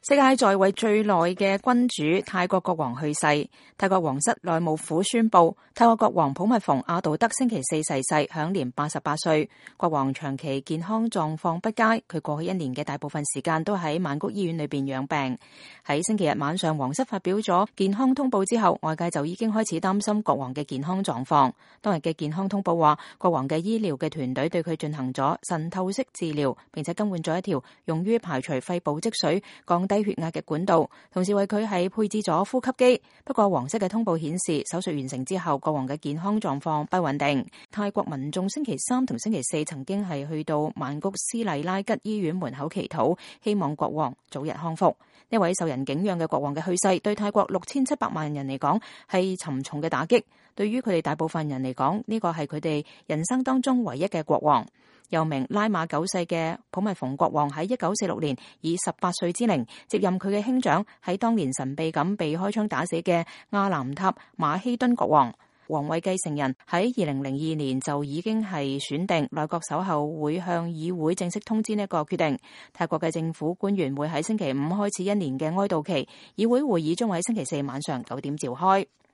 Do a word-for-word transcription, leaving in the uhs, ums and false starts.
世界在位最耐嘅君主泰國國王去世，泰國皇室內務府宣布，泰國國王普密蓬阿杜德星期四逝世，享年八十八歲。國王長期健康狀況不佳，佢過去一年嘅大部分時間都喺曼谷醫院裏邊養病。喺星期日晚上，皇室發表咗健康通報之後，外界就已經開始擔心國王嘅健康狀況。當日嘅健康通報話，國王嘅醫療嘅團隊對佢進行咗腎透析治療，並且更換咗一條用於排除肺部積水、降低血壓嘅管道，同時為佢係配置咗呼吸機。不過皇室嘅通報顯示，手術完成之後，國王嘅健康狀況不穩定。泰國民眾星期三同星期四曾經係去到曼谷斯麗拉吉醫院門口祈禱，希望國王早日康復。呢位受人敬仰嘅國王嘅去世，對泰國六千七百萬人嚟講係沉重嘅打擊。對於佢哋大部分人嚟講，呢個係佢哋人生當中唯一嘅國王。又名拉瑪九世嘅普密蓬國王喺一九四六年以十八歲之齡接任佢嘅兄長，喺當年神秘咁被開槍打死嘅阿南塔馬希敦國王。皇位繼承人喺二零零二年就已經係選定，內閣稍後會向議會正式通知呢一個決定。泰國嘅政府官員會喺星期五開始一年嘅哀悼期，議會會議將喺星期四晚上九點召開。